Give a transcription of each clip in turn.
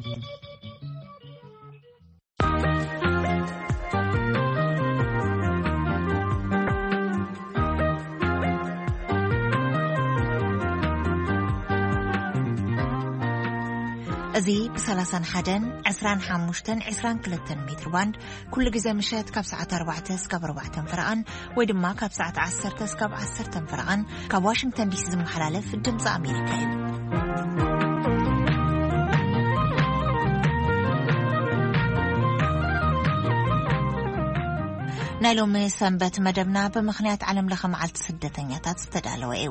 እዚ ብ31፣ 25፣ 22 ሜትር ባንድ ኩሉ ግዜ ምሸት ካብ ሰዓት ኣርባዕተ እስካብ ኣርባዕተ ፈረቓን ወይ ድማ ካብ ሰዓት ዓሰርተ እስካብ ዓሰርተ ፈረቓን ካብ ዋሽንግተን ዲሲ ዝመሓላለፍ ድምፂ ኣሜሪካ እዩ። ናይ ሎሚ ሰንበት መደብና ብምኽንያት ዓለም ለኸ መዓልቲ ስደተኛታት ዝተዳለወ እዩ።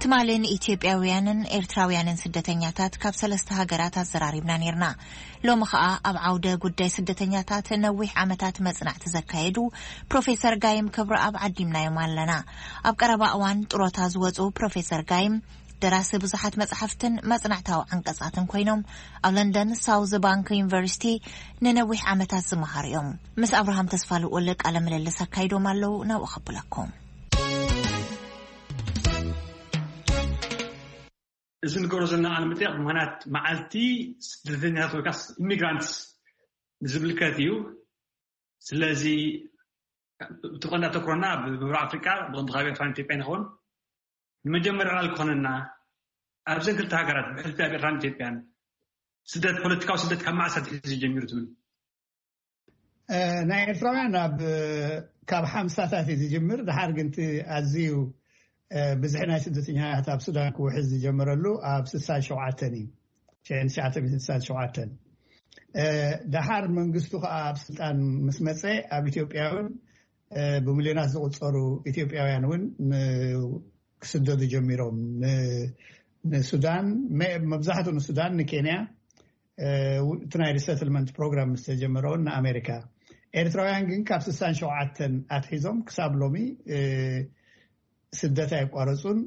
ትማሊ ንኢትዮጵያውያንን ኤርትራውያንን ስደተኛታት ካብ ሰለስተ ሃገራት ኣዘራሪብና ነይርና። ሎሚ ኸኣ ኣብ ዓውደ ጉዳይ ስደተኛታት ነዊሕ ዓመታት መጽናዕቲ ዘካየዱ ፕሮፌሰር ጋይም ክብረኣብ ዓዲምናዮም ኣለና። ኣብ ቀረባ እዋን ጥሮታ ዝወጹ ፕሮፌሰር ጋይም ደራሲ ብዙሓት መጽሓፍትን መጽናዕታዊ ዓንቀጻትን ኮይኖም ኣብ ለንደን ሳውዝ ባንክ ዩኒቨርሲቲ ንነዊሕ ዓመታት ዝመሃሩ እዮም። ምስ ኣብርሃም ተስፋ ልኡል ቃለ ምልልስ ኣካይዶም ኣለዉ። ናብኡ ከብለኩም። እዚ ንገብሮ ዘለና ቃለ መጠይቕ ምኽንያት መዓልቲ ስደተኛታት ወይ ከዓ ኢሚግራንትስ ንዝምልከት እዩ። ስለዚ እቲ ቀንዲ ኣተኩሮና ኣብ ምብራቕ ኣፍሪቃ ብቐንዱ ካብ ኤርትራን ኢትዮጵያን ይኸውን። ንመጀመርያ ዕላል ክኾነና ኣብዘን ክልተ ሃገራት ብሕልፊ ኣብ ኤርትራን ኢትዮጵያን ስደት፣ ፖለቲካዊ ስደት ካብ መዓስ ኣትሒዙ ጀሚሩ ትብል? እ፣ ናይ ኤርትራውያን ኣብ፣ ካብ ሓምሳታት እዩ ዝጅምር። ድሓር ግን እቲ ኣዝዩ፣ እ፣ ብዝሒ ናይ ስደተኛታት ኣብ ሱዳን ክውሕዝ ዝጀመረሉ ኣብ ስሳን ሸውዓተን እዩ። ሽሕን ትሽዓተ ሚእትን ስሳን ሸውዓተን። እ፣ ድሓር መንግስቱ ከኣ ኣብ ስልጣን ምስ መጸ ኣብ ኢትዮጵያ እውን፣ እ፣ ብሚልዮናት ዝቑጸሩ ኢትዮጵያውያን እውን ን-፣ ክስደዱ ጀሚሮም። ን-፣ ንሱዳን፣ መ-፣ መብዛሕትኡ ንሱዳን፣ ንኬንያ፣ እ፣ እቲ ናይ ሪሰትልመንት ፕሮግራም ምስ ተጀመረ እውን ንኣሜሪካ። ኤርትራውያን ግን ካብ ስሳን ሸውዓተን ኣትሒዞም ክሳብ ሎሚ፣ እ፣ ስደት ኣየቋረጹን።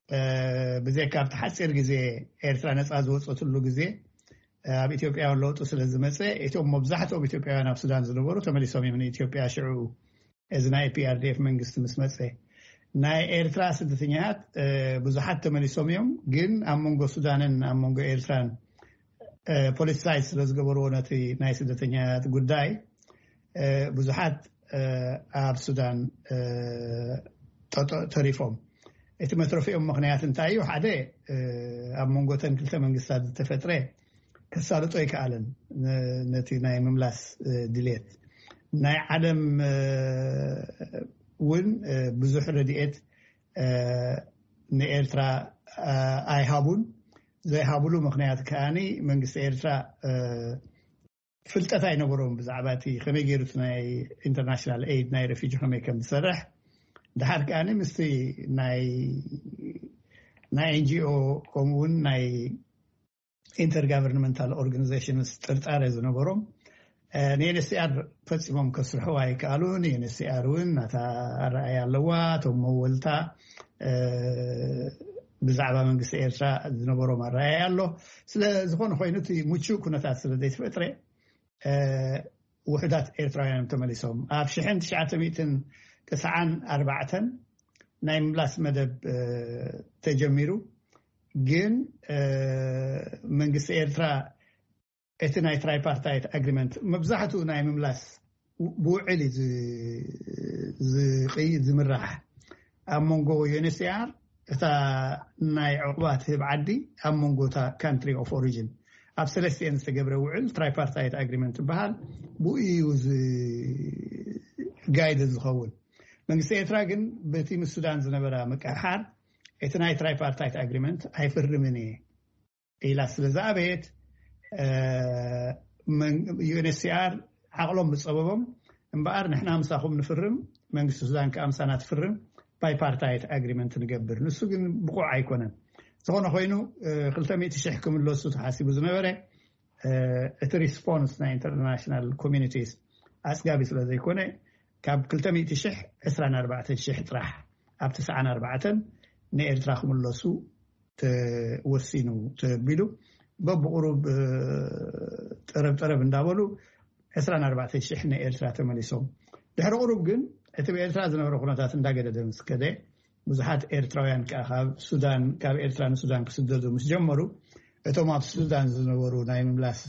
እ፣ ብዘይካ ኣብቲ ሓጺር ግዜ ኤርትራ ነጻ ዝወጸትሉ ግዜ፣ እ፣ ኣብ ኢትዮጵያ እውን ለውጢ ስለ ዝመጸ፣ እቶም መብዛሕትኦም ኢትዮጵያውያን ኣብ ሱዳን ዝነበሩ ተመሊሶም እዮም ንኢትዮጵያ። ሽዑ እዚ ናይ ፒ ኣር ዲ ኤፍ መንግስቲ ምስ መጸ፣ ናይ ኤርትራ ስደተኛታት፣ እ፣ ብዙሓት ተመሊሶም እዮም። ግን ኣብ መንጎ ሱዳንን ኣብ መንጎ ኤርትራን፣ እ፣ ፖለቲሳይዝ ስለ ዝገበርዎ ነቲ ናይ ስደተኛታት ጉዳይ፣ እ፣ ብዙሓት፣ እ፣ ኣብ ሱዳን፣ እ፣ ጠጠ-፣ ተሪፎም። እቲ መትረፊኦም ምኽንያት እንታይ እዩ? ሓደ፣ እ፣ ኣብ መንጎ ተን ክልተ መንግስታት ዝተፈጥረ ከሳልጦ ኣይከኣለን፣ ነ-፣ ነቲ ናይ ምምላስ፣ እ፣ ድሌት። ናይ ዓለም፣ እ፣ እውን፣ እ፣ ብዙሕ ረድኤት፣ እ፣ ንኤርትራ፣ እ፣ ኣይሃቡን። ዘይሃብሉ ምኽንያት ከኣኒ መንግስቲ ኤርትራ፣ እ፣ ፍልጠት ኣይነበሮም ብዛዕባ እቲ ከመይ ገይሩ እቲ ናይ ኢንተርናሽናል ኤይድ ናይ ረፊጂ ከመይ ከም ዝሰርሕ። ድሓር ከኣኒ ምስቲ ናይ፣ ናይ ኤን ጂ ኦ ከምኡ እውን ናይ ኢንተርጋቨርንመንታል ኦርጋኒዜሽንስ ጥርጣረ ዝነበሮም፣ እ፣ ንኤን ኤስ ሲ ኣር ፈጺሞም ከስርሕዋ ኣይከኣሉን። ኤን ኤስ ሲ ኣር እውን ናታ ኣረኣያ ኣለዋ። እቶም መወልታ፣ እ፣ ብዛዕባ መንግስቲ ኤርትራ ዝነበሮም ኣረኣያ ኣሎ። ስለ ዝኾነ ኮይኑ እቲ ምቹእ ኩነታት ስለ ዘይተፈጥረ፣ እ፣ ውሑዳት ኤርትራውያን ተመሊሶም። ኣብ ሽሕን ትሽዓተ ሚእትን ተስዓን ኣርባዕተን ናይ ምምላስ መደብ፣ እ፣ ተጀሚሩ። ግን፣ እ፣ መንግስቲ ኤርትራ እቲ ናይ ትራይፓርታይት ኣግሪመንት መብዛሕትኡ ናይ ምምላስ ው-፣ ብውዕል እዩ ዝ-፣ ዝቕይ-፣ ዝምራሕ። ኣብ መንጎ ዩ ኤን ኤች ሲ ኣር እታ ናይ ዕቑባ ትህብ ዓዲ ኣብ መንጎ እታ ካንትሪ ኦፍ ኦሪጅን ኣብ ሰለስቲኤን ዝተገብረ ውዕል ትራይፓርታይት ኣግሪመንት ይበሃል። ብኡ እዩ ዝ-፣ ጋይድ ዝኸውን። መንግስቲ ኤርትራ ግን በቲ ምስ ሱዳን ዝነበራ ምቅሕሓር እቲ ናይ ትራይፓርታይት ኣግሪመንት ኣይፍርምን እየ ኢላ ስለ ዝኣበየት፣ እ፣ መን-፣ ዩ ኤን ኤች ሲ ኣር ዓቕሎም ዝጸበቦም፣ እምበኣር ንሕና ምሳኹም ንፍርም፣ መንግስቲ ሱዳን ከኣ ምሳና ትፍርም፣ ባይፓርታይት ኣግሪመንት ንገብር። ንሱ ግን ብቑዕ ኣይኮነን። ዝኾነ ኮይኑ፣ እ፣ ክልተ ሚእቲ ሽሕ ክምለሱ ተሓሲቡ ዝነበረ፣ እ፣ እቲ ሪስፖንስ ናይ ኢንተርናሽናል ኮሚኒቲስ ኣጽጋቢ ስለ ዘይኮነ፣ ካብ ክልተ ሚእቲ ሽሕ ዕስራን ኣርባዕተን ሽሕ ጥራሕ ኣብ ተስዓን ኣርባዕተን ንኤርትራ ክምለሱ ተወሲኑ ተቢሉ፣ በብቑሩብ፣ እ፣ ጠረብ ጠረብ እንዳበሉ ዕስራን ኣርባዕተን ሽሕ ንኤርትራ ተመሊሶም። ድሕሪ ቁሩብ ግን እቲ ብኤርትራ ዝነበረ ኩነታት እንዳገደደ ምስ ከደ፣ ብዙሓት ኤርትራውያን ከኣ ካብ ሱዳን፣ ካብ ኤርትራ ንሱዳን ክስደዱ ምስ ጀመሩ፣ እቶም ኣብ ሱዳን ዝነበሩ ናይ ምምላስ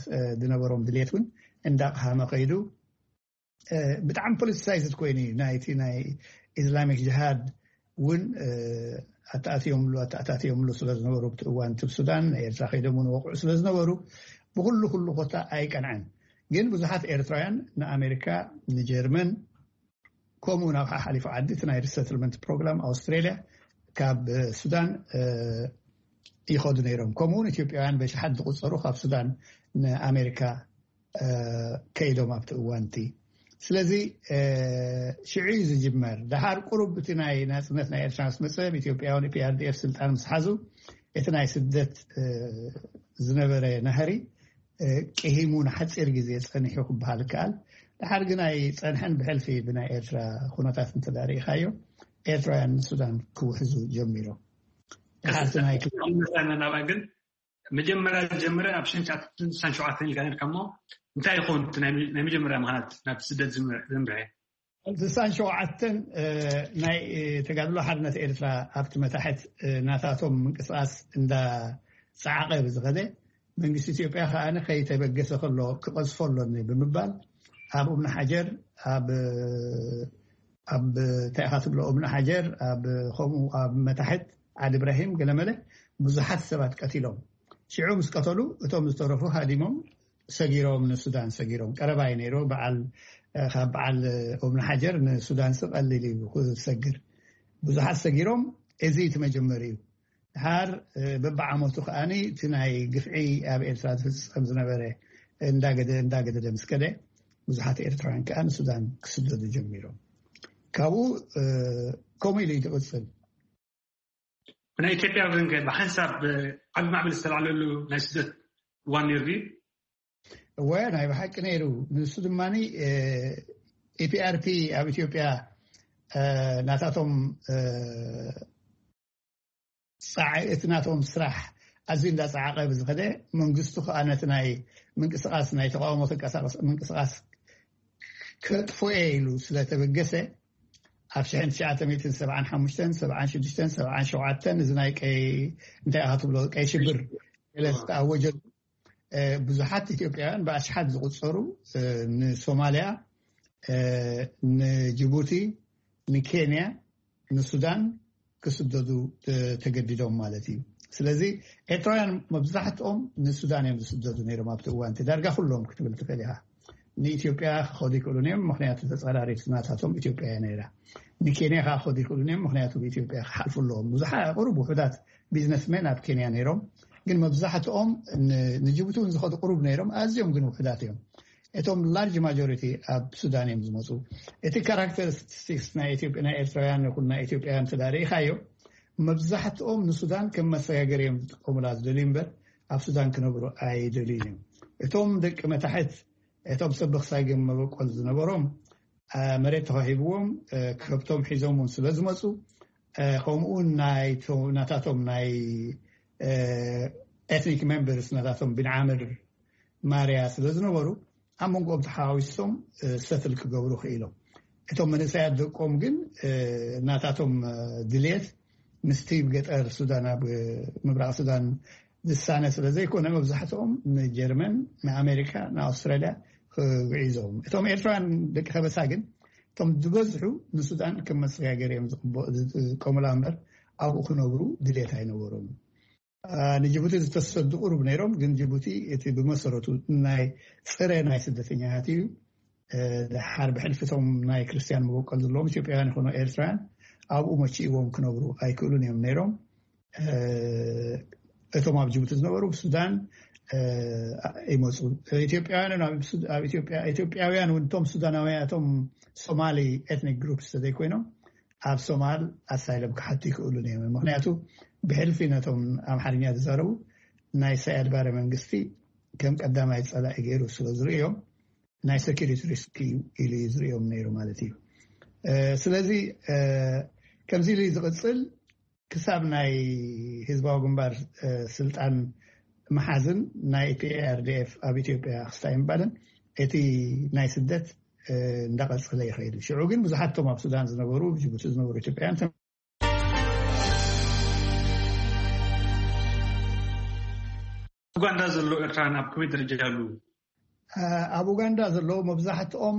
ዝነበሮም ድሌት እውን እንዳቕሃመ ከይዱ። ብጣዕሚ ፖለቲሳይዝድ ኮይኑ እዩ ናይቲ ናይ ኢስላሚክ ጅሃድ እውን ኣተኣትዮምሉ ኣተኣታትዮምሉ ስለ ዝነበሩ ብቲ እዋን እቲ ሱዳን ኤርትራ ከይዶም እውን ወቕዑ ስለ ዝነበሩ ብኩሉ ኩሉ ኮታ ኣይቀንዐን። ግን ብዙሓት ኤርትራውያን ንኣሜሪካ፣ ንጀርመን፣ ከምኡ ናብ ሓሓሊፉ ዓዲ እቲ ናይ ሪሰትልመንት ፕሮግራም ኣውስትራሊያ ካብ ሱዳን ይኸዱ ነይሮም። ከምኡውን ኢትዮጵያውያን በሽሓት ዝቁፀሩ ካብ ሱዳን ንኣሜሪካ ከይዶም ኣብቲ እዋንቲ። ስለዚ ሽዑ እዩ ዝጅመር። ደሓር ቁሩብ እቲ ናይ ናፅነት ናይ ኤርትራ ምስ መፀ፣ ኢትዮጵያውን ፒኣርዲኤፍ ስልጣን ምስ ሓዙ፣ እቲ ናይ ስደት ዝነበረ ናህሪ ቅሂሙ ንሓፂር ግዜ ፀኒሑ ክበሃል ይከኣል። ደሓር ግን ኣይፀንሐን። ብሕልፊ ብናይ ኤርትራ ኩነታት እንተዳርኢኻዮ ኤርትራውያን ንሱዳን ክውሕዙ ጀሚሮም። ደሓርቲ ናይ ናብኣ ግን መጀመርያ ዝጀመረ ኣብ ሽሕን ትሽዓተ ሚእትን ስሳን ሸውዓተን ኢልካ ነርካ እሞ እንታይ ይኸውን ናይ መጀመርያ ምኽንያት ናብ ስደት ዘምርሐ? ስሳን ሸውዓተን ናይ ተጋድሎ ሓርነት ኤርትራ ኣብቲ መታሕት ናታቶም ምንቅስቃስ እንዳ ጸዓቐ ብዝኸደ መንግስቲ ኢትዮጵያ ከኣ ከይተበገሰ ከሎ ክቐዝፎ ኣሎኒ ብምባል ኣብ እምኒ ሓጀር ኣብ ኣብ እንታይ ኢኻ ትብሎ እምኒ ሓጀር ኣብ ከምኡ ኣብ መታሕት ዓዲ ኢብራሂም ገለመለ ብዙሓት ሰባት ቀቲሎም። ሽዑ ምስ ቀተሉ እቶም ዝተረፉ ሃዲሞም ሰጊሮም ንሱዳን ሰጊሮም። ቀረባ እዩ ነይሩ። በዓል ካብ በዓል እምኒ ሓጀር ንሱዳን ስ ቀሊል እዩ ክሰግር። ብዙሓት ሰጊሮም። እዚ እቲ መጀመሪ እዩ። ድሓር በብዓመቱ ከኣኒ እቲ ናይ ግፍዒ ኣብ ኤርትራ ዝፍጸም ዝነበረ እንዳገደ እንዳገደደ ምስ ከደ ብዙሓት ኤርትራውያን ከኣ ንሱዳን ክስደዱ ጀሚሮም። ካብኡ ከምኡ ኢሉ እዩ ዝቕጽል። ናይ ኢትዮጵያ ግን ከ ብሓንሳብ ዓቢ ማዕበል ዝተላዕለሉ ናይ ስደት እዋን ነይሩ ድዩ? እወ፣ ናይ ብሓቂ ነይሩ። ንሱ ድማ ኢፒኣርፒ ኣብ ኢትዮጵያ ናታቶም ፃዕ እቲ ናቶም ስራሕ ኣዝዩ እንዳፀዓቐ ብዝኸደ መንግስቱ ከዓ ነቲ ናይ ምንቅስቃስ ናይ ተቃውሞ ተንቀሳቀስ ምንቅስቃስ ከጥፎ እየ ኢሉ ስለተበገሰ ኣብ ሽሕን ትሽዓተ ሚእትን ሰብዓን ሓሙሽተን ሰብዓን ሽዱሽተን ሰብዓን ሸውዓተን እዚ ናይ ቀይ እንታይ ኢኻ ትብሎ ቀይ ሽብር ገለ ዝተኣወጀሉ ብዙሓት ኢትዮጵያውያን ብኣሽሓት ዝቁፀሩ ንሶማሊያ፣ ንጅቡቲ፣ ንኬንያ፣ ንሱዳን ክስደዱ ተገዲዶም ማለት እዩ። ስለዚ ኤርትራውያን መብዛሕትኦም ንሱዳን እዮም ዝስደዱ ነይሮም ኣብቲ እዋንቲ ዳርጋ ኩሎም ክትብል ትኽእል ኢኻ። ንኢትዮጵያ ክኸዱ ይክእሉን እዮም፣ ምክንያቱ ተፃራሪት ናታቶም ኢትዮጵያ እያ ነይራ። ንኬንያ ከዓ ክኸዱ ይክእሉን እዮም፣ ምክንያቱ ብኢትዮጵያ ክሓልፉ ኣለዎም። ብዙሓ ቅሩብ ውሑዳት ቢዝነስሜን ኣብ ኬንያ ነይሮም፣ ግን መብዛሕትኦም ንጅቡቲ እውን ዝኸዱ ቅሩብ ነይሮም፣ ኣዝዮም ግን ውሑዳት እዮም። እቶም ላርጅ ማጆሪቲ ኣብ ሱዳን እዮም ዝመፁ። እቲ ካራክተሪስቲክስ ናይ ኢትዮጵያ ናይ ኤርትራውያን ይኹን ናይ ኢትዮጵያውያን ተዳሪኢኻዮ መብዛሕትኦም ንሱዳን ከም መሰጋገሪ እዮም ዝጥቀሙላ ዝደልዩ እምበር ኣብ ሱዳን ክነብሩ ኣይደልዩን እዮም። እቶም ደቂ መታሕት እቶም ሰብ ብክሳይ ግን መበቆል ዝነበሮም መሬት ተዋሂብዎም ከብቶም ሒዞም እውን ስለ ዝመፁ ከምኡ እውን ናታቶም ናይ ኤትኒክ ሜምበርስ ናታቶም ቢንዓምር ማርያ ስለ ዝነበሩ ኣብ መንጎኦም ተሓዋዊሶም ሰትል ክገብሩ ክኢሎም። እቶም መንእሰያት ደቆም ግን ናታቶም ድልየት ምስቲ ገጠር ሱዳን ኣብ ምብራቕ ሱዳን ዝሳነ ስለ ዘይኮነ መብዛሕትኦም ንጀርመን፣ ንኣሜሪካ፣ ንኣውስትራልያ ክግዒዞም። እቶም ኤርትራውያን ደቂ ከበሳ ግን እቶም ዝበዝሑ ንሱዳን ከም መሰጋገሪ እዮም ዝጥቀሙላ እምበር ኣብኡ ክነብሩ ድሌት ኣይነበሮም። ንጅቡቲ ዝተሰዱ ቁሩብ ነይሮም፣ ግን ጅቡቲ እቲ ብመሰረቱ ናይ ፅረ ናይ ስደተኛታት እዩ። ድሓር ብሕልፊቶም ናይ ክርስትያን መበቆል ዘለዎም ኢትዮጵያውያን ይኾኑ ኤርትራውያን ኣብኡ መቺእዎም ክነብሩ ኣይክእሉን እዮም ነይሮም። እቶም ኣብ ጅቡቲ ዝነበሩ ብሱዳን ይመፁ። ኢትዮጵያውያን ኢትዮጵያውያን እውን እቶም ሱዳናውያን እቶም ሶማሊ ኤትኒክ ግሩፕስ ተዘይኮይኖም ኣብ ሶማል ኣሳይለም ክሓቱ ይክእሉን እዮም። ምክንያቱ ብሕልፊ ነቶም ኣምሓርኛ ዝዛረቡ ናይ ሳያድ ባረ መንግስቲ ከም ቀዳማይ ፀላኢ ገይሩ ስለ ዝርእዮም ናይ ሰኪሪቲ ሪስክ እዩ ኢሉ እዩ ዝርእዮም ነይሩ ማለት እዩ። ስለዚ ከምዚ ኢሉ ዝቕፅል ክሳብ ናይ ህዝባዊ ግንባር ስልጣን መሓዝን ናይ ፒኤኣርዲኤፍ ኣብ ኢትዮጵያ ክስታይ ምባልን እቲ ናይ ስደት እንዳቐፀለ ይኸይድ። ሽዑ ግን ብዙሓት ቶም ኣብ ሱዳን ዝነበሩ ጅቡቲ ዝነበሩ ኢትዮጵያውያን ኡጋንዳ ዘለዉ ኤርትራውያን ኣብ ከመይ ደረጃ ኣለዉ? ኣብ ኡጋንዳ ዘለዉ መብዛሕትኦም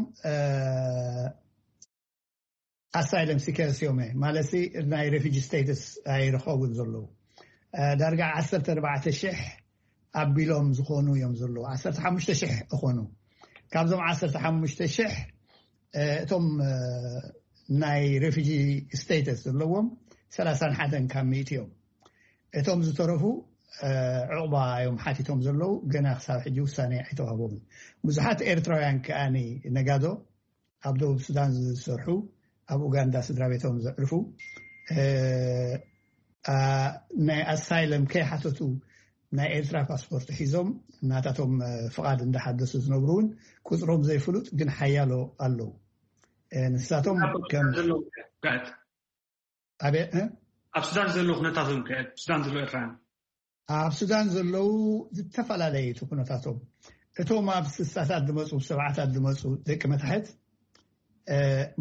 ኣሳይለም ሲከርስ እዮም፣ ማለት ናይ ሬፊጂ ስቴትስ ኣይረኸቡን ዘለዉ። ዳርጋ ዓሰርተ ኣርባዕተ ሽሕ ኣቢሎም ዝኾኑ እዮም ዘለዉ። ዓሰርተ ሓሙሽተ ሽሕ እኾኑ። ካብዞም ዓሰርተ ሓሙሽተ ሽሕ እቶም ናይ ሬፊጂ ስቴተስ ዘለዎም ሰላሳን ሓደን ካብ ሚእቲ እዮም። እቶም ዝተረፉ ዕቑባ እዮም ሓቲቶም ዘለዉ፣ ገና ክሳብ ሕጂ ውሳኔ ኣይተዋህቦምን። ብዙሓት ኤርትራውያን ከኣኒ ነጋዶ ኣብ ደቡብ ሱዳን ዝሰርሑ፣ ኣብ ኡጋንዳ ስድራ ቤቶም ዘዕርፉ፣ ናይ ኣሳይለም ከይሓተቱ ናይ ኤርትራ ፓስፖርት ሒዞም ናታቶም ፍቓድ እንዳሓደሱ ዝነብሩ እውን ቁፅሮም ዘይፍሉጥ ግን ሓያሎ ኣለዉ። ንሳቶም ከም ኣብ ሱዳን ዘለዉ ኩነታቶም ኣብ ሱዳን ዘለዉ ኤርትራውያን ኣብ ሱዳን ዘለዉ ዝተፈላለዩ እቲ ኩነታቶም፣ እቶም ኣብ ስሳታት ዝመፁ ሰብዓታት ዝመፁ ደቂ መታሕት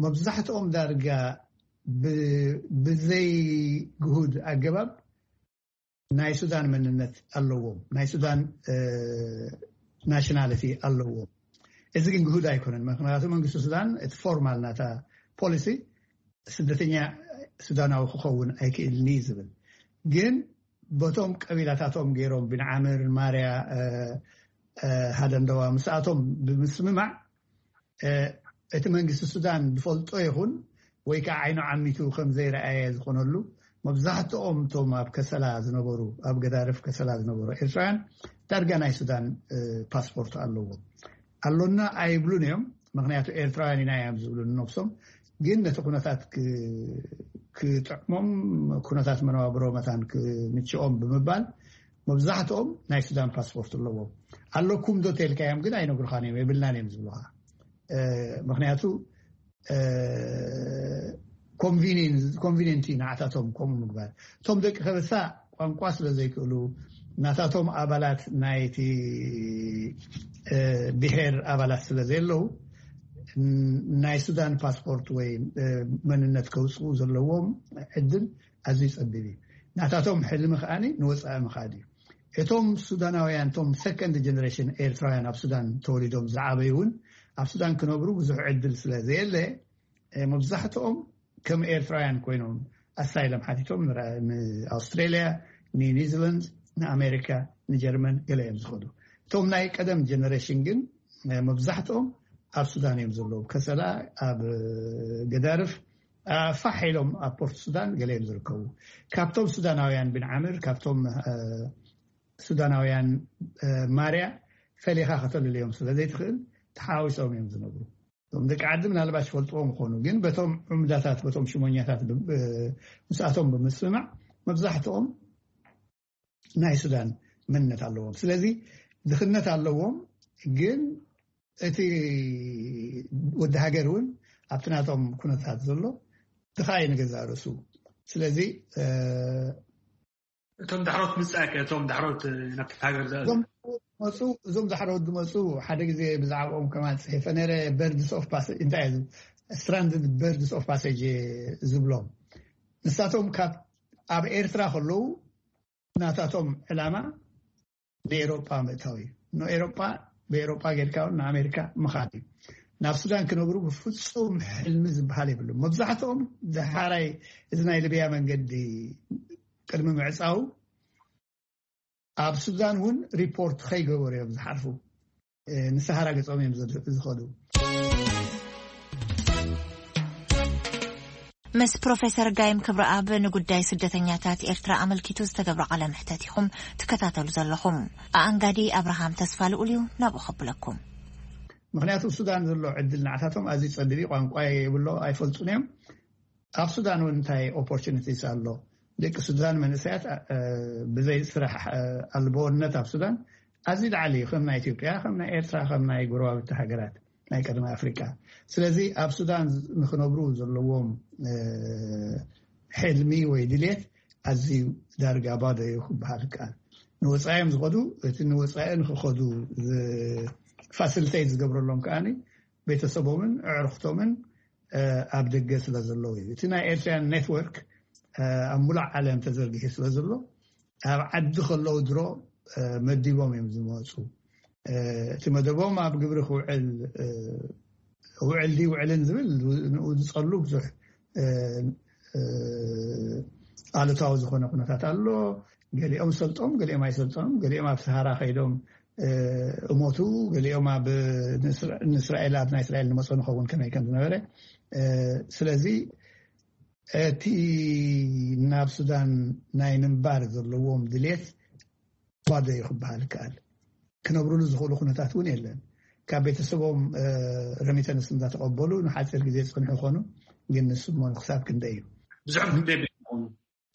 መብዛሕትኦም ዳርጋ ብዘይ ግሁድ ኣገባብ ናይ ሱዳን መንነት ኣለዎም፣ ናይ ሱዳን ናሽናሊቲ ኣለዎም። እዚ ግን ግሁድ ኣይኮነን። ምክንያቱ መንግስቲ ሱዳን እቲ ፎርማል ናታ ፖሊሲ ስደተኛ ሱዳናዊ ክኸውን ኣይክእልን እዩ ዝብል። ግን በቶም ቀቢላታቶም ገይሮም ብንዓምር ማርያ ሃደንደዋ ምስኣቶም ብምስምማዕ እቲ መንግስቲ ሱዳን ዝፈልጦ ይኹን ወይ ከዓ ዓይኑ ዓሚቱ ከም ዘይረኣየ ዝኾነሉ፣ መብዛሕትኦም እቶም ኣብ ከሰላ ዝነበሩ፣ ኣብ ገዳርፍ ከሰላ ዝነበሩ ኤርትራውያን ዳርጋ ናይ ሱዳን ፓስፖርት ኣለዎም። ኣሎና ኣይብሉን እዮም፣ ምክንያቱ ኤርትራውያን ኢና እዮም ዝብሉ ንነብሶም። ግን ነቲ ኩነታት ክጥዕሞም፣ ኩነታት መነባብሮ መታን ክምችኦም ብምባል መብዛሕትኦም ናይ ሱዳን ፓስፖርት ኣለዎም። ኣለኩም ዶ ተልካዮም ግን ኣይነግሩኻን እዮም፣ የብልናን እዮም ዝብሉኻ። ምክንያቱ ኮንቪኒንት እዩ ንዓታቶም ከምኡ ምግባር። እቶም ደቂ ከበሳ ቋንቋ ስለ ዘይክእሉ፣ ናታቶም ኣባላት ናይቲ ብሄር ኣባላት ስለ ዘየለዉ፣ ናይ ሱዳን ፓስፖርት ወይ መንነት ከውፅኡ ዘለዎም ዕድል ኣዝዩ ፀቢብ እዩ። ናታቶም ሕልሚ ከኣ ንወፃኢ ምኻድ እዩ። እቶም ሱዳናውያን፣ እቶም ሰከንድ ጀነሬሽን ኤርትራውያን ኣብ ሱዳን ተወሊዶም ዝዓበዩ እውን ኣብ ሱዳን ክነብሩ ብዙሕ ዕድል ስለ ዘየለ፣ መብዛሕትኦም ከም ኤርትራውያን ኮይኖም ኣሳይለም ሓቲቶም ንኣውስትሬልያ፣ ንኒውዚላንድ፣ ንኣሜሪካ፣ ንጀርመን ገለ እዮም ዝኸዱ። እቶም ናይ ቀደም ጀነሬሽን ግን መብዛሕትኦም ኣብ ሱዳን እዮም ዘለዉ። ከሰላ፣ ኣብ ገዳርፍ፣ ፋሕ ኢሎም ኣብ ፖርት ሱዳን ገለ እዮም ዝርከቡ። ካብቶም ሱዳናውያን ብንዓምር፣ ካብቶም ሱዳናውያን ማርያ ፈሊኻ ከተልልዮም ስለ ዘይትኽእል ተሓዋዊሶም እዮም ዝነብሩ። እቶም ደቂ ዓዲ ምናልባት ይፈልጥዎም ይኾኑ፣ ግን በቶም ዑምዳታት፣ በቶም ሽሞኛታት፣ ምስኣቶም ብምስምማዕ መብዛሕትኦም ናይ ሱዳን መንነት ኣለዎም። ስለዚ ድኽነት ኣለዎም፣ ግን እቲ ወዲ ሃገር እውን ኣብቲ ናቶም ኩነታት ዘሎ ድኻ እዩ ንገዛእ ርእሱ። ስለዚ እቶም ዳሕሮት ምጻእ ከ፣ እቶም ዳሕሮት ናብቲ ሃገር ዝኣትዉ? እዞም ዝመጹ፣ እዞም ዳሕሮት ዝመጹ ሓደ ግዜ ብዛዕባኦም ከማን ጽሒፈ ነይረ። በርድስ ኦፍ ፓሴጅ፣ እንታይ እዩ? ስትራንድድ በርድስ ኦፍ ፓሴጅ ዝብሎም። ንሳቶም ካብ፣ ኣብ ኤርትራ ከለዉ ናታቶም ዕላማ ንኤሮጳ ምእታው እዩ። ንኤሮጳ፣ ብኤሮጳ ጌርካ እውን ንኣሜሪካ ምኻድ እዩ። ናብ ሱዳን ክነብሩ ብፍጹም ሕልሚ ዝበሃል የብሉም። መብዛሕትኦም ደሓራይ እዚ ናይ ሊብያ መንገዲ ቅድሚ ምዕጻው ኣብ ሱዳን እውን ሪፖርት ከይገበሩ እዮም ዝሓርፉ። እ፣ ንሰሃራ ገጾም እዮም ዝድ-፣ ዝኸዱ። ምስ ፕሮፌሰር ጋይም ክብረኣብ ንጉዳይ ስደተኛታት ኤርትራ ኣመልኪቱ ዝተገብረ ቃለ መሕተት ኢኹም ትከታተሉ ዘለኹም። ኣኣንጋዲ ኣብርሃም ተስፋ ልኡል እዩ ናብኡ ከብለኩም። ምኽንያቱ ሱዳን ዘሎ ዕድል ንዓታቶም ኣዝዩ ጸቢብ እዩ። ቋንቋ የብሎ፣ ኣይፈልጡን እዮም። ኣብ ሱዳን እውን እንታይ ኦፖርቹኒቲስ ኣሎ? ደቂ ሱዳን መንእሰያት፣ እ፣ ብዘይ ስራሕ፣ እ፣ ኣልቦነት ኣብ ሱዳን ኣዝዩ ላዕሊ እዩ፣ ከም ናይ ኢትዮጵያ፣ ከም ናይ ኤርትራ፣ ከም ናይ ጎረባብቲ ሃገራት ናይ ቀደም ኣፍሪቃ። ስለዚ ኣብ ሱዳን ንክነብሩ ዘለዎም፣ እ፣ ሕልሚ ወይ ድሌት ኣዝዩ ዳርጋ ባዶ እዩ ክበሃል ይከኣል። ንወጻኢ እዮም ዝኸዱ። እቲ ንወጻኢ ንክኸዱ ዝ-፣ ፋሲሊቴት ዝገብረሎም ከኣ ቤተሰቦምን ኣዕሩኽቶምን፣ እ፣ ኣብ ደገ ስለ ዘለዉ እዩ። እቲ ናይ ኤርትራውያን ኔትወርክ፣ እ፣ ኣብ ሙሉእ ዓለም ተዘርጊሑ ስለ ዘሎ፣ ኣብ ዓዲ ከለዉ ድሮ መዲቦም እዮም ዝመፁ። እቲ መደቦም ኣብ ግብሪ ክውዕል ውዕል ድዩ ውዕልን ዝብል ንኡ ዝፀሉ ብዙሕ ኣሉታዊ ዝኾነ ኩነታት ኣሎ። ገሊኦም ሰልጦም፣ ገሊኦም ኣይሰልጦም፣ ገሊኦም ኣብ ሰሃራ ከይዶም እሞቱ፣ ገሊኦም ኣብ ንእስራኤል ኣብ ናይ እስራኤል ንመፅኦ ንኸውን ከመይ ከም ዝነበረ። ስለዚ እቲ ናብ ሱዳን ናይ ምንባር ዘለዎም ድሌት ባዶ እዩ ክበሃል ይከኣል። ክነብሩሉ ዝኽእሉ ኩነታት እውን የለን። ካብ ቤተሰቦም ረሚተንስ እንዳተቐበሉ ንሓፂር ግዜ ዝፅንሑ ይኾኑ፣ ግን ንስሞ ክሳብ ክንደይ እዩ?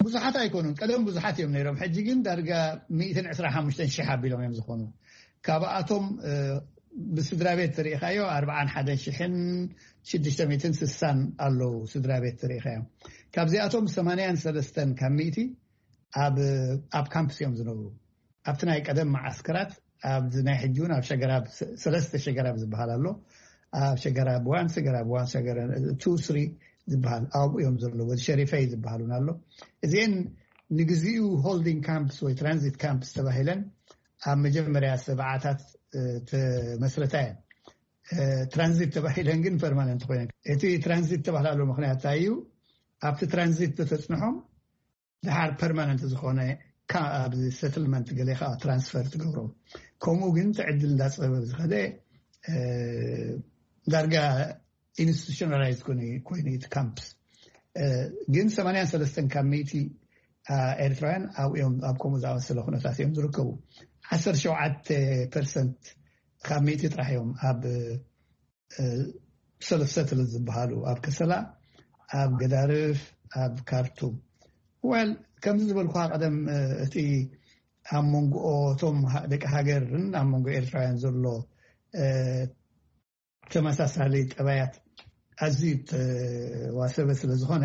ብዙሓት ኣይኮኑን። ቀደም ብዙሓት እዮም ነይሮም። ሕጂ ግን ዳርጋ ሚእትን ዕስራን ሓሙሽተን ሽሕ ኣቢሎም እዮም ዝኾኑ። ካብኣቶም ብስድራ ቤት ተሪኢኻዮ ኣርብዓን ሓደን ሽሕን ሽዱሽተ ሚእትን ስሳን ኣለዉ። ስድራ ቤት ተሪኢኻዮ ካብዚኣቶም ሰማንያን ሰለስተን ካብ ሚእቲ ኣብ ካምፕስ እዮም ዝነብሩ። ኣብቲ ናይ ቀደም መዓስከራት ኣብዚ ናይ ሕጂ እውን ኣብ ሸገራብ ሰለስተ ሸገራብ ዝበሃል ኣሎ። ኣብ ሸገራብ ዋን፣ ሸገራብ ዋን፣ ሸገራብ ቱ፣ ስሪ ዝበሃል ኣብኡ እዮም ዘለዉ። ወዲ ሸሪፈይ ዝበሃል እውን ኣሎ። እዚአን ንግዚኡ ሆልዲንግ ካምፕስ ወይ ትራንዚት ካምፕስ ተባሂለን ኣብ መጀመርያ ሰብዓታት ተመስረታ እየን። ትራንዚት ተባሂለን ግን ፐርማነንት ኮይነን። እቲ ትራንዚት ተባህላሉ ምክንያት እንታይ እዩ? ኣብቲ ትራንዚት ተተፅንሖም ድሓር ፐርማነንት ዝኾነ ኣብዚ ሰትልመንት ገለ ከዓ ትራንስፈር ትገብሮም። ከምኡ ግን ትዕድል እንዳፀበብ ዝኸደ ዳርጋ ኢንስቲቱሽናላይዝ ኮይኑ እቲ ካምፕስ። ግን ሰማንያን ሰለስተን ካብ ሚእቲ ኤርትራውያን ኣብኡ እዮም ኣብ ከምኡ ዝኣመሰለ ኩነታት እዮም ዝርከቡ። ዓሰርተ ሸውዓተ ፐርሰንት ካብ ሚእቲ ጥራሕ እዮም ኣብ ሰለሰትል ዝበሃሉ ኣብ ከሰላ፣ ኣብ ገዳርፍ፣ ኣብ ካርቱም። ወል ከምዚ ዝበልኩካ ቀደም እቲ ኣብ መንጎ እቶም ደቂ ሃገርን ኣብ መንጎ ኤርትራውያን ዘሎ ተመሳሳሊ ጠባያት ኣዝዩ ተዋሰበ ስለ ዝኾነ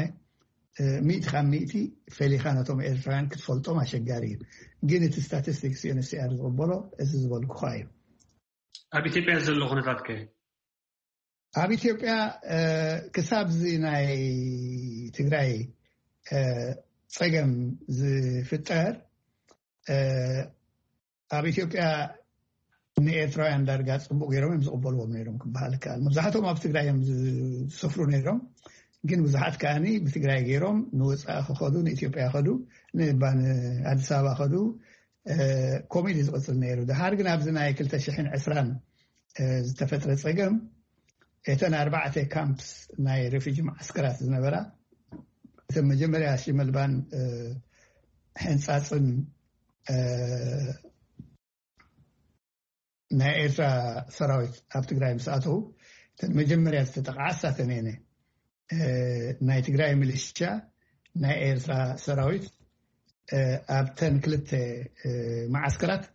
ሚእቲ ካብ ሚእቲ ፈሊኻ ነቶም ኤርትራውያን ክትፈልጦም ኣሸጋሪ እዩ። ግን እቲ ስታቲስቲክስ ዩኤንኤችሲኣር ዝቕበሎ እዚ ዝበልኩኻ እዩ። ኣብ ኢትዮጵያ ዘሎ ኩነታት ከ? ኣብ ኢትዮጵያ ክሳብ እዚ ናይ ትግራይ ፀገም ዝፍጠር ኣብ ኢትዮጵያ ንኤርትራውያን ዳርጋ ፅቡቅ ገይሮም እዮም ዝቕበልዎም ነይሮም ክበሃል ይከኣል። መብዛሕትኦም ኣብ ትግራይ እዮም ዝሰፍሩ ነይሮም፣ ግን ብዙሓት ከዓኒ ብትግራይ ገይሮም ንወፃኢ ክኸዱ፣ ንኢትዮጵያ ከዱ፣ ንባ ንኣዲስ ኣበባ ከዱ። ከምኡ ኢሉ ዝቕፅል ነይሩ። ድሓር ግን ኣብዚ ናይ ክልተ ሽሕን ዕስራን ዝተፈጥረ ፀገም እተን ኣርባዕተ ካምፕስ ናይ ሬፊጂ ማዓስከራት ዝነበራ እተን መጀመርያ ሽመልባን ሕንፃፅን ናይ ኤርትራ ሰራዊት ኣብ ትግራይ ምስ ኣተው እተን መጀመርያ ዝተጠቕዓ እሳተን እየን። ናይ ትግራይ ሚሊሻ፣ ናይ ኤርትራ ሰራዊት ኣብተን ክልተ መዓስከራት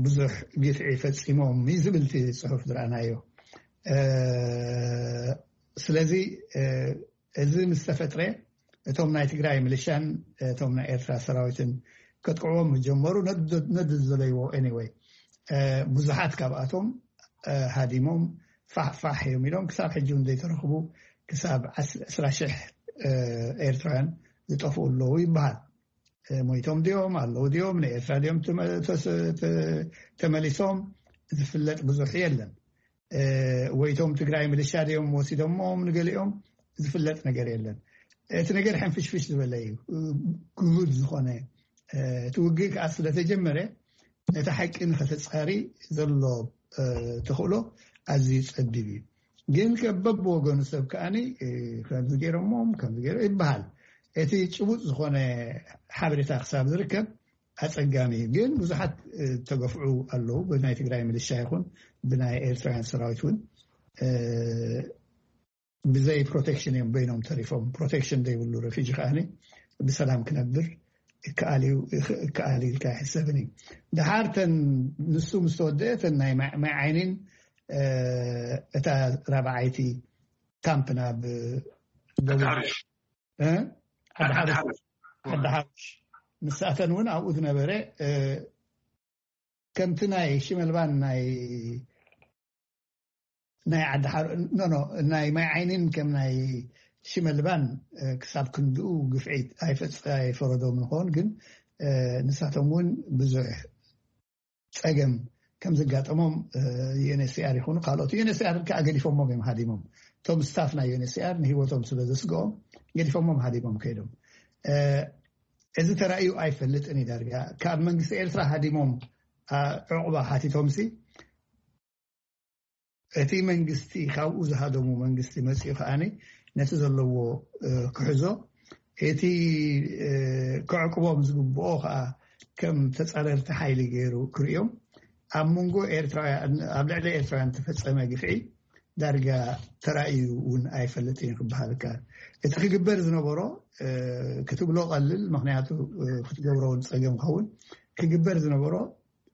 ብዙሕ ግፍዒ ፈፂሞም እዩ ዝብል እቲ ፅሑፍ ዝረኣናዮ። ስለዚ እዚ ምስ ተፈጥረ እቶም ናይ ትግራይ ሚሊሻን እቶም ናይ ኤርትራ ሰራዊትን ከጥቅዕዎም ጀመሩ። ነዱ ዝደለይዎ ኤኒወይ ብዙሓት ካብኣቶም ሃዲሞም ፋሕ ፋሕ እዮም ኢሎም ክሳብ ሕጂ እውን ዘይተረኽቡ ክሳብ ዕስራ ሽሕ ኤርትራውያን ዝጠፍኡ ኣለዉ ይበሃል። ሞይቶም ድዮም ኣለዉ ድዮም ንኤርትራ ድዮም ተመሊሶም ዝፍለጥ ብዙሕ የለን። ወይቶም ትግራይ ሚሊሻ ድዮም ወሲዶሞም ንገሊኦም ዝፍለጥ ነገር የለን። እቲ ነገር ሕንፍሽፍሽ ዝበለ እዩ። ግሁድ ዝኾነ እቲ ውግእ ከዓ ስለተጀመረ ነቲ ሓቂ ንኸተፃሪ ዘሎ ተኽእሎ ኣዝዩ ፀቢብ እዩ። ግን ከበብ ወገኑ ሰብ ከዓኒ ከምዚ ገይሮሞም ከምዚ ገይሮ ይበሃል። እቲ ጭቡጥ ዝኾነ ሓበሬታ ክሳብ ዝርከብ ኣፀጋሚ እዩ። ግን ብዙሓት ተገፍዑ ኣለዉ። ብናይ ትግራይ ሚሊሻ ይኹን ብናይ ኤርትራውያን ሰራዊት እውን ብዘይ ፕሮቴክሽን እዮም በይኖም ተሪፎም። ፕሮቴክሽን ዘይብሉ ረፊጂ ከዓኒ ብሰላም ክነብር ይከኣል እዩ ይከኣል ኢልካ ኣይሕሰብን እዩ። ድሓር ተን ንሱ ምስ ተወደአ ተን ናይ ማይ ዓይኒን እታ ራብዓይቲ ካምፕ ናብ ደቡብ ዓዲ ሓሩሽ ንሳተን እውን ኣብኡ ዝነበረ ከምቲ ናይ ሽመልባን ናይ ናይ ዓዲ ሓሩ ኖ ኖ ናይ ማይ ዓይኒን ከም ናይ ሽመልባን ክሳብ ክንድኡ ግፍዒ ኣይፈረዶም ንኸውን ግን ንሳቶም እውን ብዙሕ ጸገም ከም ዘጋጠሞም ዩኤንኤችሲኣር ይኹኑ ካልኦት ዩኤንኤችሲኣር ከዓ ገዲፎሞም እዮም ሃዲሞም። እቶም ስታፍ ናይ ዩኤንኤችሲኣር ንህይወቶም ስለ ዘስግኦም ገዲፎሞም ሃዲሞም ከይዶም። እዚ ተራእዩ ኣይፈልጥን እዩ። ዳርጋ ካብ መንግስቲ ኤርትራ ሃዲሞም ዕቑባ ሓቲቶምሲ እቲ መንግስቲ ካብኡ ዝሃደሙ መንግስቲ መፅኡ ከዓኒ ነቲ ዘለዎ ክሕዞ እቲ ክዕቅቦም ዝግብኦ ከዓ ከም ተፃረርቲ ሓይሊ ገይሩ ክርእዮም ኣብ መንጎ ኤርትራውያን ኣብ ልዕሊ ኤርትራውያን ተፈፀመ ግፍዒ ዳርጋ ተራእዩ እውን ኣይፈልጥን እዩ ክበሃል ይከኣል። እቲ ክግበር ዝነበሮ ክትብሎ ቀልል ምክንያቱ ክትገብሮ እውን ፀገም ከውን ክግበር ዝነበሮ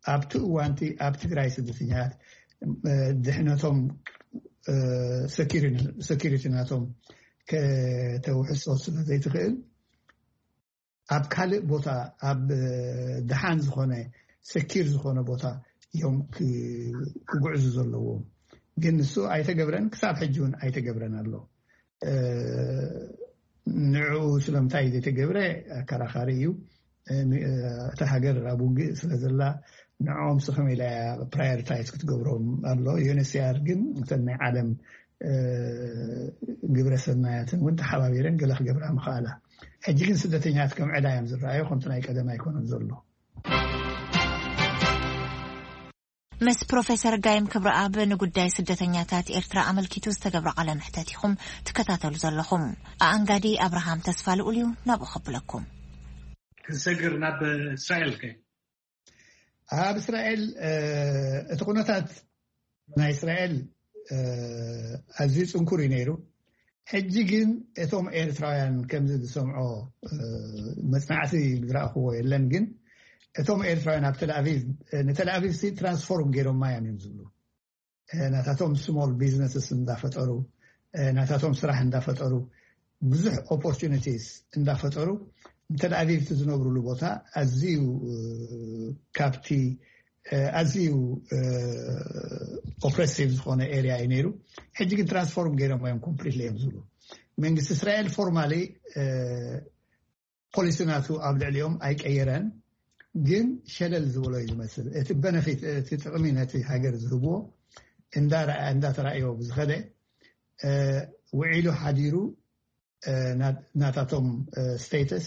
ኣብቲ እዋንቲ ኣብ ትግራይ ስደተኛታት ድሕነቶም ሰኪሪቲ ናቶም ከተውሕሶ ስለ ዘይትኽእል ኣብ ካልእ ቦታ ኣብ ደሓን ዝኾነ ሰኪር ዝኾነ ቦታ እዮም ክጉዕዙ ዘለዎም። ግን ንሱ ኣይተገብረን፣ ክሳብ ሕጂ እውን ኣይተገብረን ኣሎ። ንዕኡ ስለምንታይ ዘይተገብረ ኣከራኻሪ እዩ። እታ ሃገር ኣብ ውግእ ስለ ዘላ ንዕኦም ስኸም ኢላ ፕራዮሪታይዝ ክትገብሮም ኣሎ። ዩኤንኤችሲኣር ግን እተን ናይ ዓለም ግብረ ሰናያትን እውን ተሓባቢረን ገለ ክገብራ ምኽኣላ። ሕጂ ግን ስደተኛት ከም ዕዳ እዮም ዝረኣዩ፣ ከምቲ ናይ ቀደም ኣይኮነን ዘሎ። ምስ ፕሮፌሰር ጋይም ክብረኣብ ንጉዳይ ስደተኛታት ኤርትራ ኣመልኪቱ ዝተገብረ ቃለ መሕተት ኢኹም ትከታተሉ ዘለኹም። ኣኣንጋዲ ኣብርሃም ተስፋ ልኡል እዩ፣ ናብኡ ከብለኩም። ክንሰግር ናብ እስራኤል ከ? ኣብ እስራኤል እቲ ኩነታት ናይ እስራኤል ኣዝዩ ጽንኩር እዩ ነይሩ። ሕጂ ግን እቶም ኤርትራውያን ከምዚ ዝሰምዖ መጽናዕቲ ዝረእኽዎ የለን። ግን እቶም ኤርትራውያን ኣብ ተልኣቪቭ ንተልኣቪቭ ሲ ትራንስፎርም ገይሮማ እዮም እዮም ዝብሉ። ናታቶም ስሞል ቢዝነስስ እንዳፈጠሩ ናታቶም ስራሕ እንዳፈጠሩ ብዙሕ ኦፖርቹኒቲስ እንዳፈጠሩ ንተልኣቪቭ ዝነብሩሉ ቦታ ኣዝዩ ካብቲ ኣዝዩ ኦፕሬሲቭ ዝኾነ ኤሪያ እዩ ነይሩ። ሕጂ ግን ትራንስፎርም ገይሮም እዮም ኮምፕሊትሊ እዮም ዝብሉ። መንግስቲ እስራኤል ፎርማሊ ፖሊሲ ናቱ ኣብ ልዕሊኦም ኣይቀየረን፣ ግን ሸለል ዝበሎ እዩ ዝመስል። እቲ በነፊት እቲ ጥቕሚ ነቲ ሃገር ዝህብዎ እንዳተራእዮ ብዝኸደ ውዒሉ ሓዲሩ ናታቶም ስቴተስ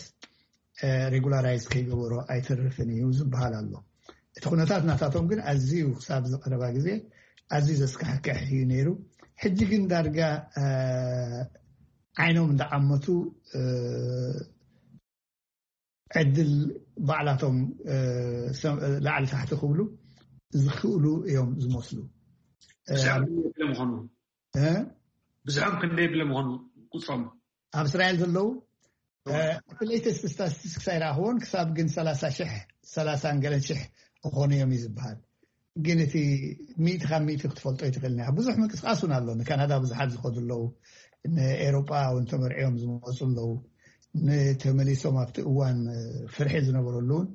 ሬጉላራይዝ ከይገበሮ ኣይተርፍን እዩ ዝበሃል ኣሎ። እቲ ኩነታት ናታቶም ግን ኣዝዩ ክሳብ ዝቀረባ ግዜ ኣዝዩ ዘስካሕክሕ እዩ ነይሩ። ሕጂ ግን ዳርጋ ዓይኖም እንዳዓመቱ ዕድል ባዕላቶም ላዕሊ ታሕቲ ክብሉ ዝኽእሉ እዮም ዝመስሉ። ብዛዕባ ምኾኑ ብዙሖም ክንደይ ብለ ምኾኑ ቁፅሮም ኣብ እስራኤል ዘለዉ እቲ ሌተስት ስታቲስቲክስ ኣይረኣኽዎን ክሳብ ግን ሰላሳ ሽሕ ሰላሳን ገለን ሽሕ ክኾኑ እዮም እዩ ዝበሃል። ግን እቲ ሚእቲ ካብ ሚእቲ ክትፈልጦ ይትኽእል ኒኻ። ብዙሕ ምንቅስቃስ እውን ኣሎ። ንካናዳ ብዙሓት ዝኸዱ ኣለዉ። ንኤሮጳ እውን ተመርዕዮም ዝመፁ ኣለዉ። ንተመሊሶም ኣብቲ እዋን ፍርሒ ዝነበረሉ እውን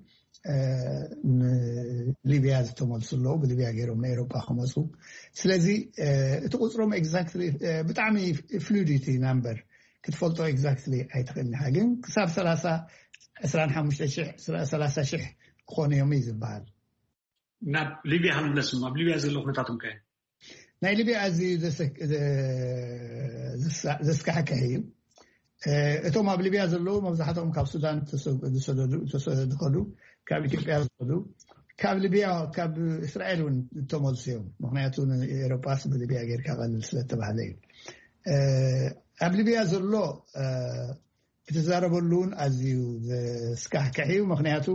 ንሊብያ ዝተመልሱ ኣለዉ። ብሊብያ ገይሮም ንኤሮጳ ክመፁ። ስለዚ እቲ ቁፅሮም ኤግዛክትሊ ብጣዕሚ ፍሉዲቲ ናምበር ክትፈልጦ ኤግዛክትሊ ኣይትኽእል ኢኻ። ግን ክሳብ ሰላሳ ዕስራን ሓሙሽተ ሽሕ ሰላሳ ሽሕ ክኾኑ እዮም እዩ ዝበሃል። ናብ ሊብያ ክንምለስ ኣብ ሊብያ ዘሎ ኩነታቶም ከ? ናይ ሊብያ ኣዝዩ ዘስካሕክሕ እዩ። እቶም ኣብ ሊብያ ዘለዉ መብዛሕትኦም ካብ ሱዳን ዝኸዱ፣ ካብ ኢትዮጵያ ዝኸዱ፣ ካብ ሊብያ ካብ እስራኤል እውን ዝተመልሱ እዮም። ምክንያቱ ንኤሮጳስ ብሊብያ ጌርካ ቀልል ስለተባህለ እዩ። ኣብ ሊብያ ዘሎ ክትዛረበሉ እውን ኣዝዩ ዘስካሕክሕ እዩ። ምክንያቱ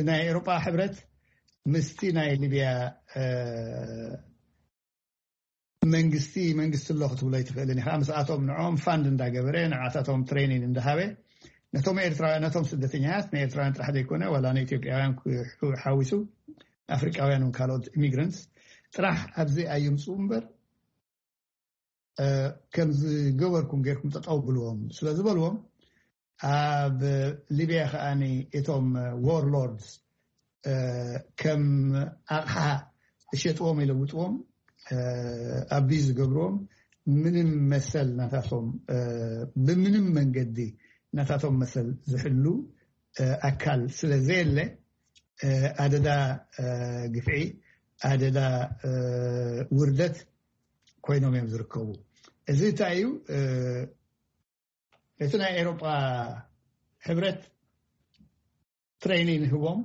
ናይ ኤሮጳ ሕብረት ምስቲ ናይ ሊብያ መንግስቲ መንግስቲ ኣሎ ክትብሎ ኣይትኽእልን ኢኻ። ምስኣቶም ንዕኦም ፋንድ እንዳገበረ ንዓታቶም ትሬኒን እንዳሃበ ነቶም ኤርትራውያን ነቶም ስደተኛታት ንኤርትራውያን ጥራሕ ዘይኮነ ዋላ ንኢትዮጵያውያን ሓዊሱ ኣፍሪቃውያን እውን ካልኦት ኢሚግራንትስ ጥራሕ ኣብዚ ኣይምፅኡ እምበር ከም ዝገበርኩም ጌርኩም ጠጠው ብልዎም ስለ ዝበልዎም ኣብ ሊብያ ከዓኒ እቶም ዎርሎርድስ ከም ኣቕሓ ዝሸጥዎም ይለውጥዎም ኣቢዝ ዝገብርዎም ምንም መሰል ናታቶም ብምንም መንገዲ ናታቶም መሰል ዝሕሉ ኣካል ስለ ዘየለ ኣደዳ ግፍዒ፣ ኣደዳ ውርደት ኮይኖም እዮም ዝርከቡ። እዚ እንታይ እዩ? እቲ ናይ ኤሮጳ ሕብረት ትሬኒንግ ህቦም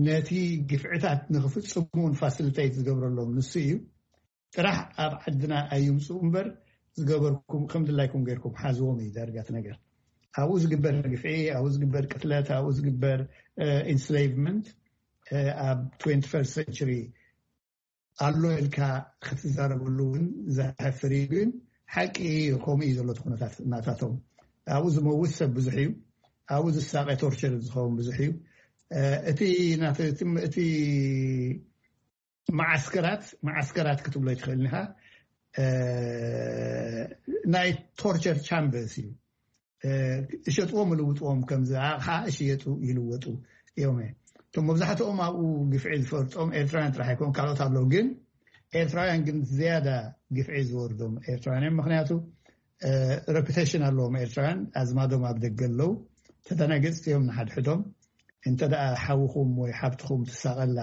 ነቲ ግፍዕታት ንክፍፅሙ ፋሲሊቴት ዝገብረሎም ንሱ እዩ። ጥራሕ ኣብ ዓድና ኣይምፅኡ እምበር ዝገበርኩም ከም ድላይኩም ገይርኩም ሓዝዎም እዩ ዳርጋት ነገር። ኣብኡ ዝግበር ግፍዒ፣ ኣብኡ ዝግበር ቅትለት፣ ኣብኡ ዝግበር ኢንስሌቭመንት ኣብ ትዌንቲ ፈርስት ሴንቸሪ ኣሎ ኢልካ ክትዛረበሉ እውን ዘሕፍር እዩ። ግን ሓቂ እዩ፣ ከምኡ እዩ ዘሎ እቲ ኩነታት ናታቶም። ኣብኡ ዝመውት ሰብ ብዙሕ እዩ፣ ኣብኡ ዝሳቀ ቶርቸር ዝኸውን ብዙሕ እዩ። እቲ ናተ- እቲ መዓስከራት መዓስከራት ክትብሎ ይትኽእል ኢኻ። ናይ ቶርቸር ቻምበርስ እዩ። እሸጥዎም ልውጥዎም ከምዚ ኣቕሓ እሽየጡ ይልወጡ እዮም። እቶም መብዛሕትኦም ኣብኡ ግፍዒ ዝፈርጦም ኤርትራውያን ጥራሕ ኣይኮን፣ ካልኦት ኣለዉ። ግን ኤርትራውያን ግን ዝያዳ ግፍዒ ዝወርዶም ኤርትራውያን እዮም። ምክንያቱ ረፒቴሽን ኣለዎም ኤርትራውያን፣ ኣዝማዶም ኣብ ደገ ኣለዉ። ተደናገፅቲ እዮም ንሓድሕዶም። እንተ ደኣ ሓውኹም ወይ ሓብትኹም ትሳቐላ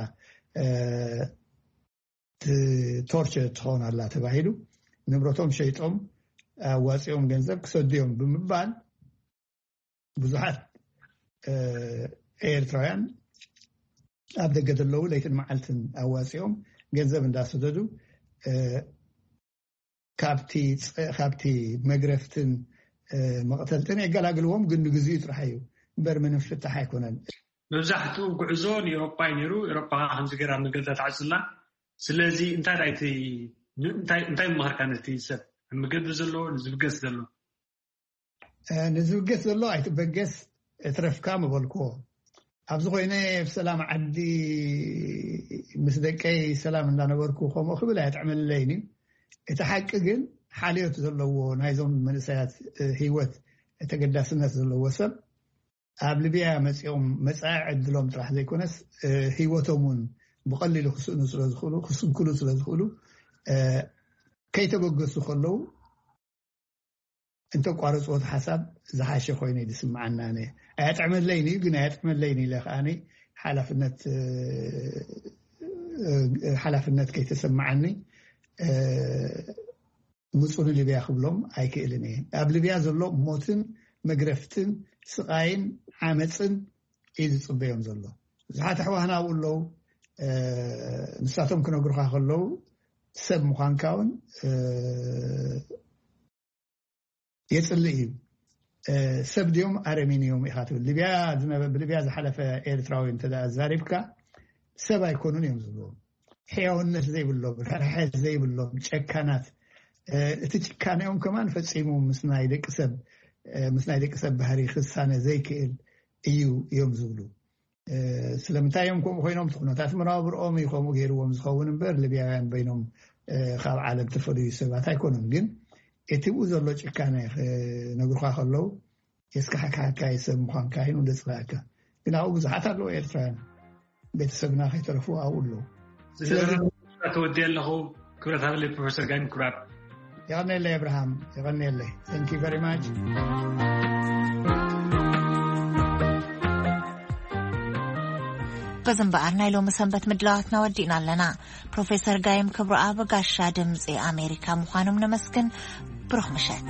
ቶርቸር ትኸውን ኣላ ተባሂሉ ንብረቶም ሸይጦም ኣዋፂኦም ገንዘብ ክሰዱ እዮም ብምባል ብዙሓት ኤርትራውያን ኣብ ደገ ዘለዉ ለይትን መዓልትን ኣዋፂኦም ገንዘብ እንዳሰደዱ ካብቲ መግረፍትን መቕተልትን የገላግልዎም። ግን ንግዚኡ ጥራሕ እዩ እምበር ምንም ፍታሕ ኣይኮነን። መብዛሕትኡ ጉዕዞ ንኤሮፓ እዩ ነይሩ። ኤሮፓ ከምዚ ገይራ መገዳ ተዓፅላ። ስለዚ እንታይ እንታይ ምመኸርካ ነቲ ሰብ ኣብ መገዲ ዘሎ ንዝብገስ ዘሎ? ንዝብገስ ዘሎ ኣይትበገስ፣ እትረፍካ ምበልክዎ። ኣብዚ ኮይነ ብሰላም ዓዲ ምስ ደቀይ ሰላም እንዳነበርኩ ከምኡ ክብል ኣየጥዕመለይን እዩ። እቲ ሓቂ ግን ሓልዮት ዘለዎ ናይዞም መንእሰያት ህይወት ተገዳስነት ዘለዎ ሰብ ኣብ ሊብያ መፂኦም መፃኢ ዕድሎም ጥራሕ ዘይኮነስ ህይወቶም እውን ብቐሊሉ ክስእኑ ስለዝኽእሉ ክስንክሉ ስለዝኽእሉ ከይተበገሱ ከለዉ እንተቋረፅዎ እቲ ሓሳብ ዝሓሸ ኮይኑ እዩ ዝስምዓና። ኣነ ኣያጥዕመለይን እዩ ግን ኣያጥዕመለይን ኢለ ከዓኒ ሓላፍነት ሓላፍነት ከይተሰማዓኒ ምፁ ንሊብያ ክብሎም ኣይክእልን እየ። ኣብ ሊብያ ዘሎ ሞትን መግረፍትን ስቓይን ዓመፅን እዩ ዝፅበዮም ዘሎ። ብዙሓት ኣሕዋትና ኣብኡ ኣለዉ። ንሳቶም ክነግሩካ ከለዉ ሰብ ምዃንካ እውን የፅልእ እዩ። ሰብ ድዮም ኣረሚን እዮም ኢኻ ትብል። ሊብያ ዝነበ ብሊብያ ዝሓለፈ ኤርትራዊ እንተ ዛሪብካ ሰብ ኣይኮኑን እዮም ዝብልዎም። ሕያውነት ዘይብሎም፣ ርሕራሐ ዘይብሎም ጨካናት። እቲ ጭካኔኦም ከማን ፈፂሙ ምስ ናይ ደቂ ሰብ ምስ ናይ ደቂ ሰብ ባህሪ ክሳነ ዘይክእል እዩ እዮም ዝብሉ። ስለምንታይ እዮም ከምኡ ኮይኖም? እቲ ኩነታት መነባብርኦም እዩ ከምኡ ገይርዎም ዝኸውን እምበር ሊብያውያን በይኖም ካብ ዓለም ተፈልዩ ሰባት ኣይኮኑን። ግን እቲ ብኡ ዘሎ ጭካነ ክነግሩካ ከለዉ የስካሕክሓካ እዩ ሰብ ምዃንካ እዩ ደፅላእካ። ግን ኣብኡ ብዙሓት ኣለዉ ኤርትራውያን ቤተሰብና ከይተረፉ ኣብኡ ኣለዉ። ስለዚ ተወዲ ኣለኹ። ክብረት ሃበለይ ፕሮፌሰር ጋይም ክብራት። የቐኔለይ ኣብርሃም፣ የቐኔለይ። Thank you very much። በዚ እምበኣር ናይ ሎሚ ሰንበት ምድላዋትና ወዲእና ኣለና። ፕሮፌሰር ጋይም ክብረኣብ ጋሻ ድምፂ ኣሜሪካ ምዃኖም ነመስግን። ብሩኽ ምሸት።